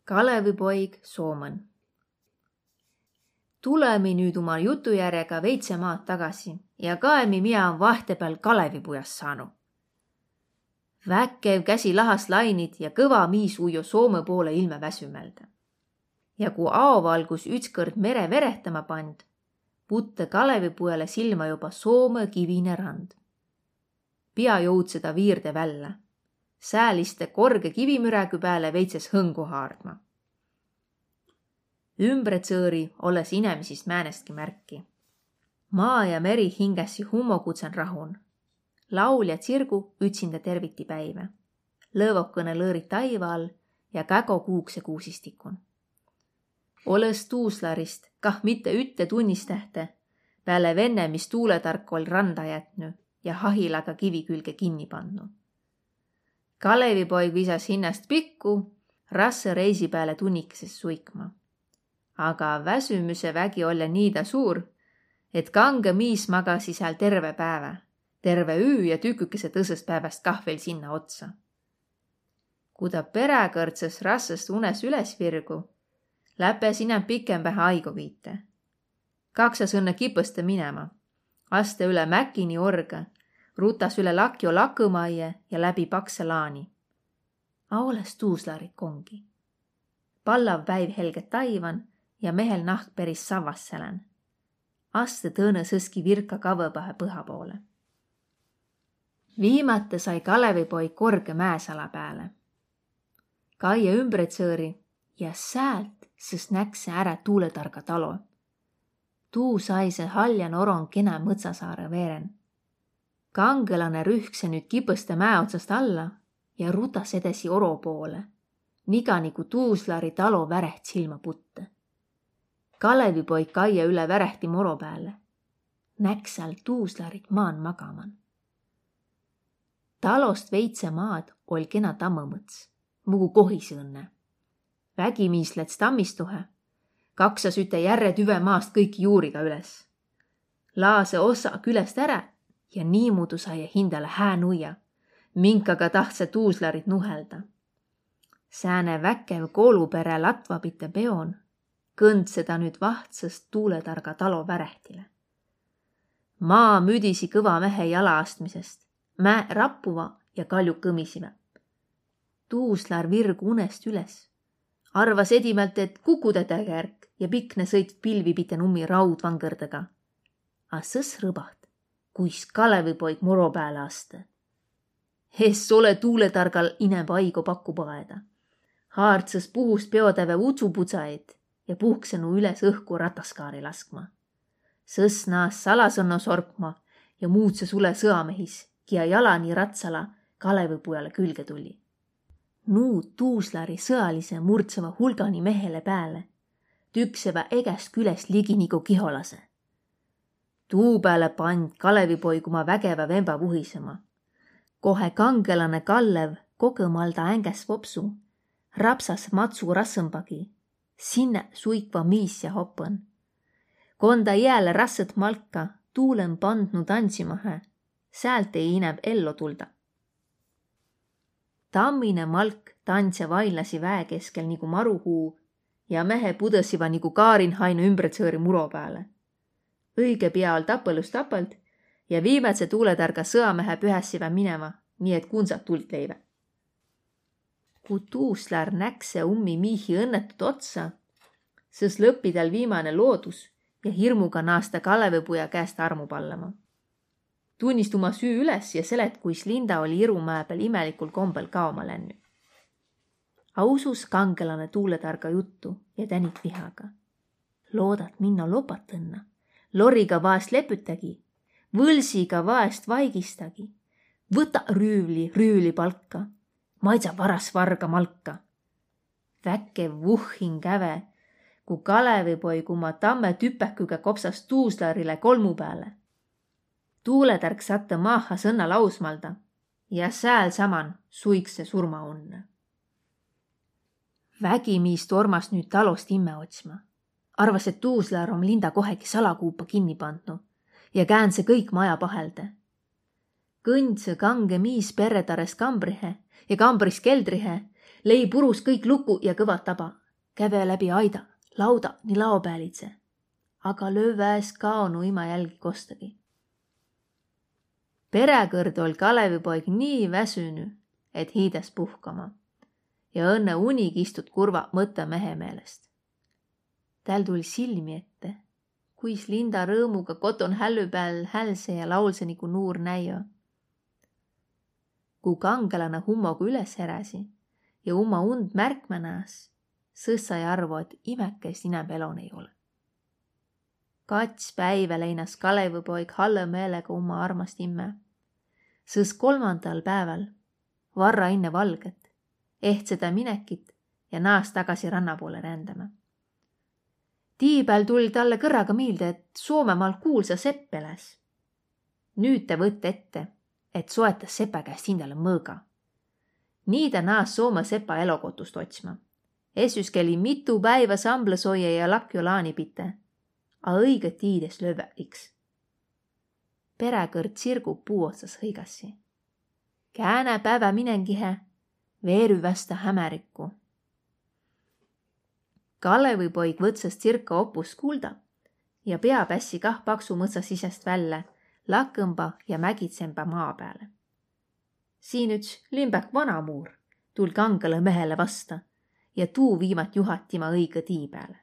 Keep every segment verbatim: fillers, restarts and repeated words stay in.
Kalevipoig Soomõn. Tulemi nüüd uma jutujärjega veidse maad tagasi ja kaemi, mia om vahtepeal Kalevipujas saanu. Väkev käsi lahas lainit ja kõva miis ujo Soomõ poole ilmä väsümäldä. Ja ku aovalgus ütskõrd mere verehtama pand, putte Kalevipujalle silmä joba Soomõ kivine rand. Pia joudseda viirde vällä. Sääl iste korge kivimürägü pääle veitses hõngu haardma. Ümbretsõõri olles inemisist määnestki märki. Maa ja meri hingässi hummogudsen rahun. Laul ja tsirgu ütsindä terviti päivä. Lõvokõne lõõrit taiva all ja kägo kuukse kuusistikun. Olõs tuuslarist kah mitte ütte tunnistähte pääle venne, mis tuuletark oll' randa jätnü ja hahilaga kivi külge kinni pandnu. Kalevipoig visas hinnäst pikku, rassõ reisi pääle tunnikese suikma. Aga väsümüse vägi olle niida suur, et kangõ miis magasi sääl terve päävä, terve üü ja tükükese tõsõst pääväst kah veel sinna otsa. Ku ta peräkõrdsas rassast unes üles virgu, läpes inämb pikembähe aigo viite. Kaksas õnne kipõste minema. Aste üle mäki ni orgõ, rutas üle lakjo lakõmaie ja läbi pakse laani. A olles tuuslarit kongi. Pallav päiv helge taivan ja mehel nahk peris savvas selän. Aste tõõnõ sõski virka kavvõbahe põha poole. Viimate sai Kalevipoig korge mäesala pääle. Kaie ümbretsõõri ja säält sõs näkse ärä tuuletarga talo. Tuu saise haljan oron kenä mõtsasaarõ veeren. Kangõlanõ rühkse nüüt kipõste mäe otsast alla ja rutas edesi oro poole, niga nigu tuuslari talo väreht silmä putte. Kalevipoig kaie üle värehti moro pääle. Näkse tuuslarit maan magaman. Talost veidse maad oll' kena tammõmõts, mugu kohis õnne. Vägimiis läts tammistuhe, kaksas üte järre tüve maast kõiki juuriga üles. Laase osa külest ärä ja niimuudu saie hindale hää nuia, minkaga tahtsõ tuuslarit nuhelda. Sääne väkev kooluperä latva pite peon, kõndseda nüüt vahtsõst tuuletarga talo värehtile. Maa müdisi kõva mehe jalaastmisest, mäe rappuva ja kalju kõmisiva. Tuuslar virgu unest üles. Arvas edimält, et kukudedägärk ja pikne sõit pilvi pite ummi raudvangõrdega. A sõs rõbaht, kuis Kalevipoig moro pääle aste. Es ole tuuletargal inämb aigo pakku paeda. Haardsas puhust peotäve utsupudsaid ja puhkse nu üles õhku rataskaari laskma. Sõs naas salasõnno sorkma ja muudsas üle sõamehis, kia jala ni ratsala Kalevipujale külge tulli. Nu tuuslari sõalise murdseva hulgani mehele pääle, tükseva egäst külest ligi nigu kiholase. Tuu pääle pand Kalevipoig uma vägevä vemba vuhisema. Kohe kangõlanõ kallev kogõmalda ängäs vopsu, rapsas matsu rassõmbagi, sinnä suikva miis ja hopõn. Konda jääle rassõt malka tuulõn pandnu tansimahe, säält ei inämb ello tulda. Tammine malk tandse vailasi väe keskel nigu maruhuu ja mehe pudõsiva nigu kaarin haina ümbretsõõri muro pääle. Õige pia oll' tapõlus tapõld ja viimädse tuuletarga sõamehe pühässivä minema, nii et kunsat tuld leivä. Ku tuuslär näkse ummi miihi õnnetut otsa, sõs lõppi tal viimäne loodus ja hirmuga naas ta Kalevipuja käest armu pallama. Tunnist uma süü üles ja selet, kuis Linda olli irumäe pääl imelikul kombel kaoma lännü. A usus kangõlanõ tuuletarga juttu ja tänit vihaga. Loodat minno lopatõnna, loriga vaest lepütägi, võlsiga vaest vaigistagi, võta rüüvli rüüvli palka, maidsa varas varga malka. Väkev vuhhin käve, ku Kalevipoig uma tamme tüpäküga kopsas tuuslarile kolmu pääle. Tuuletärk sattõ maaha sõnna lausmalda ja sääl saman suikse surmaunnõ. Vägimiis tormas nüüt talost imme otsma. Arvas, et tuuslär om Linda kohegi salakuupa kinni pandnu ja käändse kõik maja pahelda. Kõndsõ kangõ miis perretarest kambrihe ja kambrist keldrihe, Lei purus kõik luku ja kõva taba. Käve läbi aida, lauda ni laopäälidse. Aga lövvä es kaonu ima jälgi kostagi. Peräkõrd oll' Kalevipoig nii väsünü, et hiidas puhkama. Ja õnnõ unik istut kurva mõttõ mehe meelest. Täl tull' silmi ette, kuis Linda rõõmuga koton hällü pääl hälse ja laulse nigu nuur näio. Ku kangelanõ hummogu üles heräsi ja uma und märkmä naas, sõs sai arvo, et imäkkäist inämb elon ei olõ. Kats päivä leinas Kalevipoig hallõ meelega uma armast immä. Sõs kolmandal pääval, varra inne valgõt, ehtse tä minekit ja naas tagasi ranna poole rändämä. Tii pääl tull' talle kõrraga miilde, et Soomemaal kuulsa sepp eläs. Nüüt tä võtt ette, et soetas sepa käest hindäle mõõga. Nii tä naas Soome sepa elokotust otsma. Essüs käli mitu päivä samblõsoije ja lakjo laani pite, a õigõt tiid es lövvä iks. Peräkõrd tsirgu puu otsas hõigassi: Käänä päivä minengihe, veerü vasta hämärikku. Kalevipoig võtsas tsirka opus kuulda ja pea pässi kah paksu mõtsa sisest vällä, lakõmba ja mägidsembä maa pääle. Siin üts limbäk vanamuur tull' kangelõ mehele vasta ja tuu viimat juhat tima õigõ tii pääle.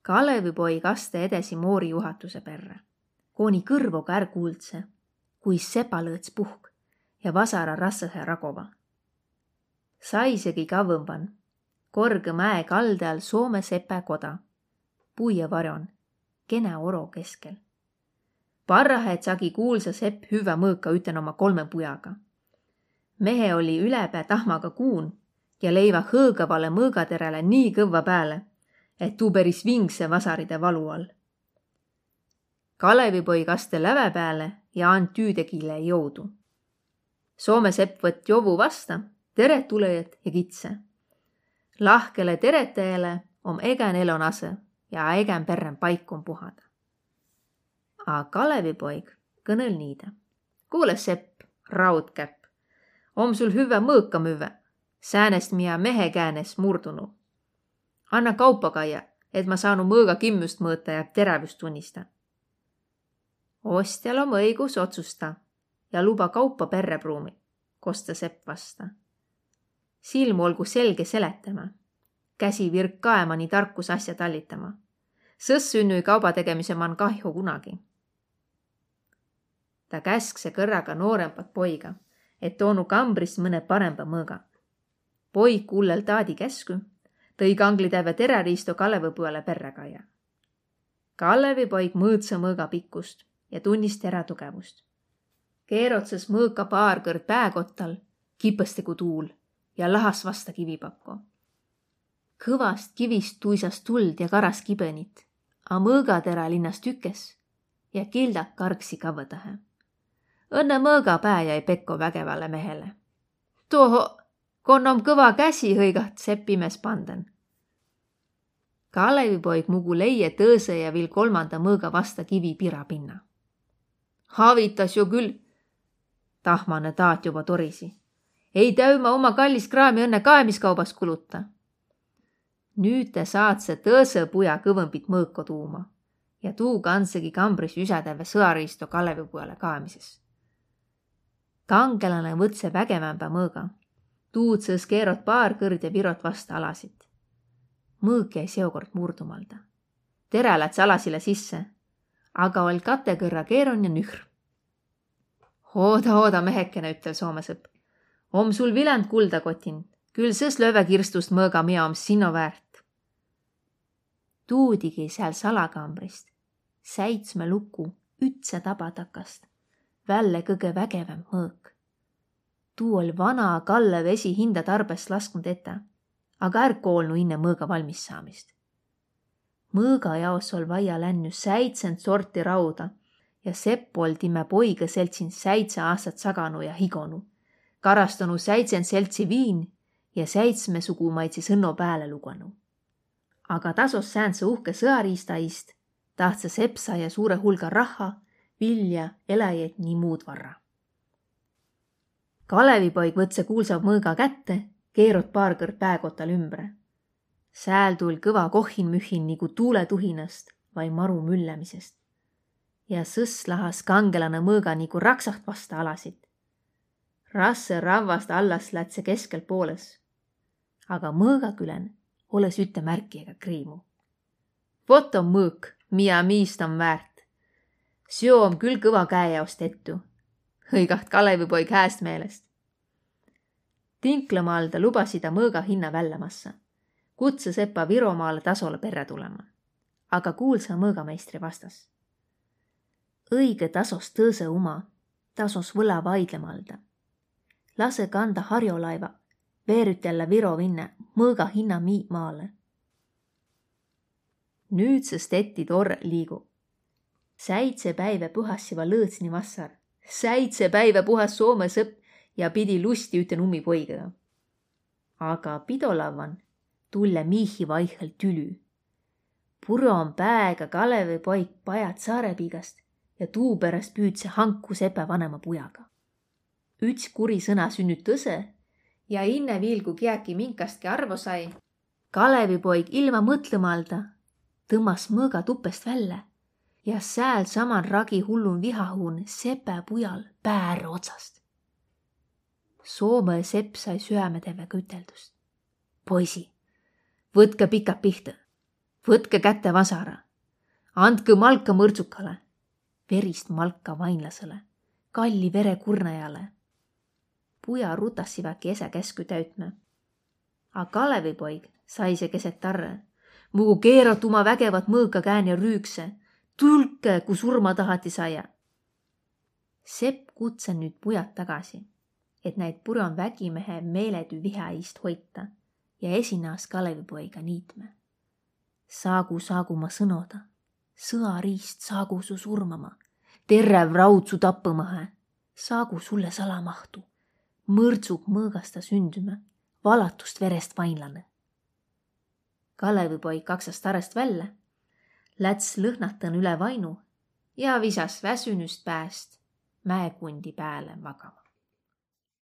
Kalevipoig aste edesi moori juhatuse perrä, koni kõrvoga är kuuldse, kui sepalõõts puhk ja vasara rassõhe ragova. Saisegi kavvõmban, korgõ mäe kaldal Soome sepä koda, puie varjon, kenä oro keskel. Parrahe tsagi kuulsa sepp hüvvä mõõka üten oma kolme pujaga. Mehe oli ülepää tahmaga kuun ja leivä hõõgavale mõõgateräle nii kõvva pääle, et tuu peris vingse vasaride valu all. Kalevipoig aste läve pääle ja and tüüdegile joudu. Soome sepp võtt jovu vasta, teret tulõjat ja kitse: Lahkele teretäjale om egän elon asõ ja egän perrän paikon puhada. A Kalevipoig kõnõl niida: Kuule, sepp, raudkäpp, om sul hüvvä mõõka müvvä, säänest, mia mehe kään es murdunu. Anna kaupa kaia, et ma saanu mõõga kimmüst mõõta ja terävüst tunnista. Ostjal om õigus otsusta ja luba kaupa perrä pruumi, kostsõ sepp vasta. Silm olgu selge seletämä, käsi virk kaema ni tarkus asja tallitama. Sõs sünnü-i kaubategemise man kahjo kunagi. Ta käskse kõrraga noorembat poiga, et toonu kambrist mõne paremba mõõga. Poig kullel taadi käskü, tõi kangli tävve teräriisto Kalevipoja perrä kaia. Kalevipoig mõõtsõ mõõga pikkust ja tunnis terä tugevust. Keerotsas mõõka paar kõrd pääkottal, kipõste ku tuul, ja lahas vasta kivipakko. Kõvast kivist tuisas tuld ja karas kibõnit, a mõõgaterä linnas tükes ja kildak kargsi kavvõdahe. Õnnõ mõõga pää jäi pekko vägevale mehele. Toho, kon om kõva käsi, hõigat sepp imes pandan. Kalevipoig mugu leie tõõsõ ja viil kolmanda mõõga vasta kivi pira pinna. Havitas jo kül, tahmanõ taat joba torisi. Ei täü ma uma kallis kraami õnnõ kaemiskaubas kuluta. Nüüt tä saatsõ tõõsõ puja kõvõmbit mõõko tuuma ja tuu kandsegi kambris üsädävve sõariisto Kalevipojale kaemises. Kangelanõ võtsõ vägevämbä mõõga. Tuud sõs keerot paar kõrd ja virot vasta alasit. Mõõk jäi seokord murdumalda. Terä läts alasile sisse, aga oll' kate kõrra keeron ja nühr. Ooda, ooda, mehekene, üttel soomesõp. Om sul viländ kuldakotin, kül sõs lövve kirstust mõõga, mia om sinno väärt. Tuudigi sääl salakambrist säitsme luku ütsä taba takast välle kõgõ vägevämb mõõk. Tuu oll' vana kallõ vesi hinda tarbes lasknu tetä, aga är koolnu inne mõõga valmissaamist. Mõõga jaos oll' vaia lännü säitsent sorti rauda ja sepp oll' timä poigõ seltsin säidse aastat saganu ja higonu, karastanu säitsent seltsi viin ja säitsmesugumaidsi sõnno pääle luganu. Aga tasos säändse uhke sõariista iist tahtsõ sepp saia suure hulga rahha, vilja, eläjit ni muud varra. Kalevipoig võtsõ kuulsa mõõga kätte, Keerot paar kõrd pääkotal ümbre. Sääl tull' kõva kohhinmühhin nigu tuuletuhinast vai maru müllämisest. Ja sõs lahas' kangelanõ mõõga nigu raksaht vasta alasit. Rassõ ravvast allas lätsõ keskel poolõs. Aga mõõga külän olõs ütte märki ega kriimu. Vot om mõõk, mia miist om väärt. Seo om kül kõva käe jaos tettu. Hõigaht' Kalevipoig hääst meelest. Tinklemalda lubasi ta mõõga hinna vällä massa. Kutsõ sepa Viromaale tasolõ perrä tulema. Aga kuulsa mõõgameistri vastas: Õigõ tasos tõõsõ uma, tasos võla vaidlemalda. Lasõ kanda harjolaiva, veerütellä Viro vinne, mõõga hinna mii maale. Nüüdsest etti torr liigu. Säidse päivä puhassiva Lõõtsni vassar. Säidse päivä puhas Soomõ sepp ja pidi lusti üten ummi poigõ. Aga pidolavvan tulle miihi vaihhel tülü. Pur'on pääga Kalevipoig pajat Saarepiigast ja tuu peräst püüdse hanku sepä vanema pujaga. Üts kuri sõna sünnüt tõsõ ja inne viil, ku kiäki minkastki arvo sai, Kalevipoig ilma mõtlõmalda tõmmas mõõga tupest vällä ja sääl saman ragi hullun vihahuun sepä pujal pää otsast. Soomõ sepp sai süämetevvega üteldüst: Poisi, võtkõ pikat pihtõ, võtkõ kätte vasara, andkõ malka mõrdsukale, verist malka vainlasele, kalli vere kurnajale. Puja rutassivaki esä käskü täütmä. A Kalevipoig saise keset tarrõ: Mugu keerot uma vägevat mõõka kään ja rüükse: Tulkõ, ku surma tahati saia! Sepp kutsõ nüüt pujat tagasi, et näid pur'on vägimehe meeledü viha iist hoita ja esinas Kalevipoiga niitmä: Saagu, saagu ma sõnoda, sõariist saagu su surmama, terräv raud su tappõmahe, saagu sulle salamahtu, mõrdsuk mõõgasta sündümä, valatust verest vainlanõ. Kalevipoig kaksas tarõst vällä, läts lõhnatõn üle vainu ja visas väsünüst pääst mäekundi pääle magama.